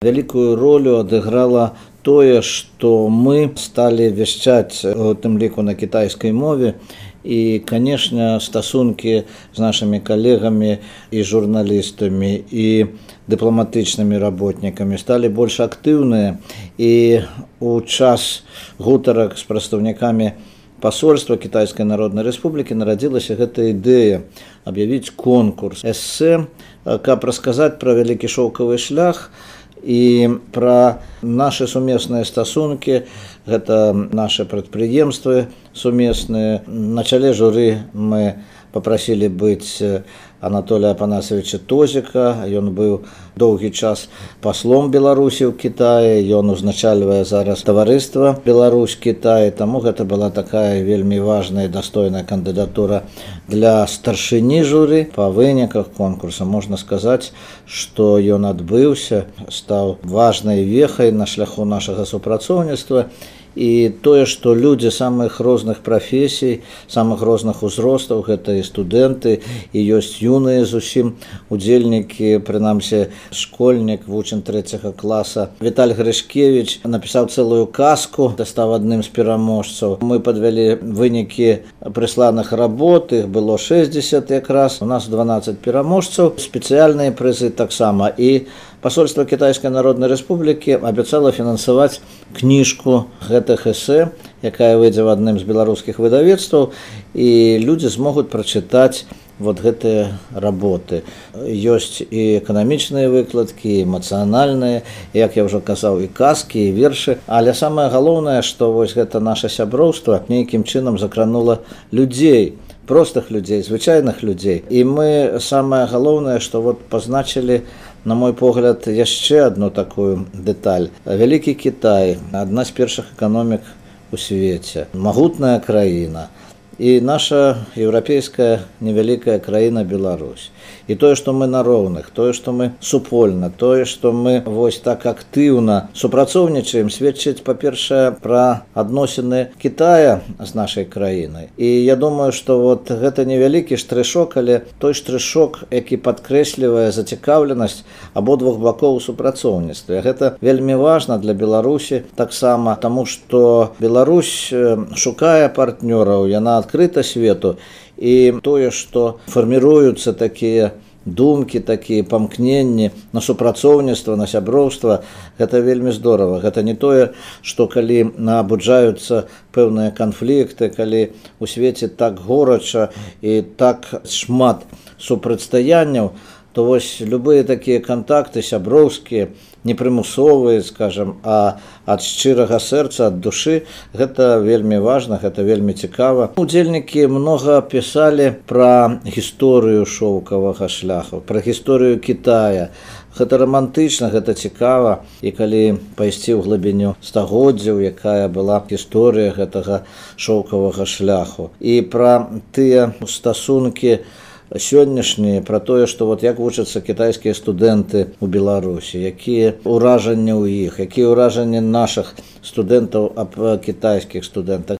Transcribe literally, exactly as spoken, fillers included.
Вялікую ролю адыграла тое, што мы сталі вяшчаць у тым ліку на кітайскай мове. І, канешне, стасункі з нашымі калегамі і журналістамі, і дыпламатычнымі работнікамі сталі больш актыўныя. І у час гутарак з прадстаўнікамі пасольства Кітайскай Народнай Рэспублікі нарадзілася гэта ідэя аб'явіць конкурс эсэ, каб расказаць пра вялікі шоўкавы шлях і пра нашы сумесныя стасункі. Гэта нашы прадпрыемствы сумесныя. На чале журы мы папрасілі быць Анатолія Апанасавіча Тозіка. Ён быў доўгі час паслом Беларусі ў Кітаі. Ён узначальвае зараз таварыства Беларусь-Кітай. Таму гэта была такая вельмі важная і дастойная кандыдатура для старшыні журы. Па выніках конкурса можна сказаць, што ён адбыўся, стаў важнай вехай на шляху нашага супрацоўніцтва. І тое, што людзі самых розных прафесій, самых розных узростаў, гэта і студэнты, і ёсць юныя зусім удзельнікі, прынамсі школьнік, вучань трэцяга класа. Віталь Грышкевіч напісаў цэлую казку, стаў адным з пераможцаў. Мы падвялі вынікі прысланых работ, іх было шэсцьдзесят якраз. У нас дванаццаць пераможцаў, спецыяльныя прызы таксама. І пасольства Кітайскай Народнай Рэспублікі абяцала фінансаваць кніжку гэтых эсэ, якая выйдзе ў адным з беларускіх выдавецтваў, і людзі змогуць прачытаць вот гэтыя работы. Ёсць і эканамічныя выкладкі, і эмацыянальныя, як я ўжо казаў, і казкі, і вершы. Але самае галоўнае, што вось гэта наша сяброўства нейкім чынам закранула людзей, простых людзей, звычайных людзей. І мы самае галоўнае, што вот пазначылі, на мой погляд, яшчэ одну такую дэталь. Вялікі Кітай, адна з першых эканомік у свеце, магутная краіна. І наша еўрапейская невялікая краіна Беларусь. І тое, што мы на роўных, тое, што мы супольна, тое, што мы вось так актыўна супрацоўнічаем, сведчыць, па-першае, пра адносіны Кітая з нашай краінай. І я думаю, што вот гэта невялікі штрышок, але той штрышок, які падкрэслівае зацікаўленасць абодвух бакоў у супрацоўніцтве. Гэта вельмі важна для Беларусі таксама, таму што Беларусь шукае партнёраў, яна адкрыта свету, і тое, што фарміруюцца такія думкі, такія памкненні на супрацоўніцтва, на сяброўства, гэта вельмі здорава. Гэта не тое, што калі набуджаюцца пэўныя канфлікты, калі у свеце так горача і так шмат супрацьстаянняў, то вось любыя такія кантакты сяброўскія, непрымусовыя, скажам, а ад шчырага сэрца, ад душы, гэта вельмі важна, гэта вельмі цікава. Удзельнікі многа пісалі пра гісторыю шоўкавага шляху, пра гісторыю Кітая. Гэта рамантычна, гэта цікава. І калі пайсці ў глыбіню стагоддзяў, якая была гісторыя гэтага шоўкавага шляху. І пра тыя стасункі сённяшнія, пра тое, што вот як вучацца кітайскія студэнты ў Беларусі, якія ўражанні ў іх, якія ўражанні нашых студэнтаў аб кітайскіх студэнтах.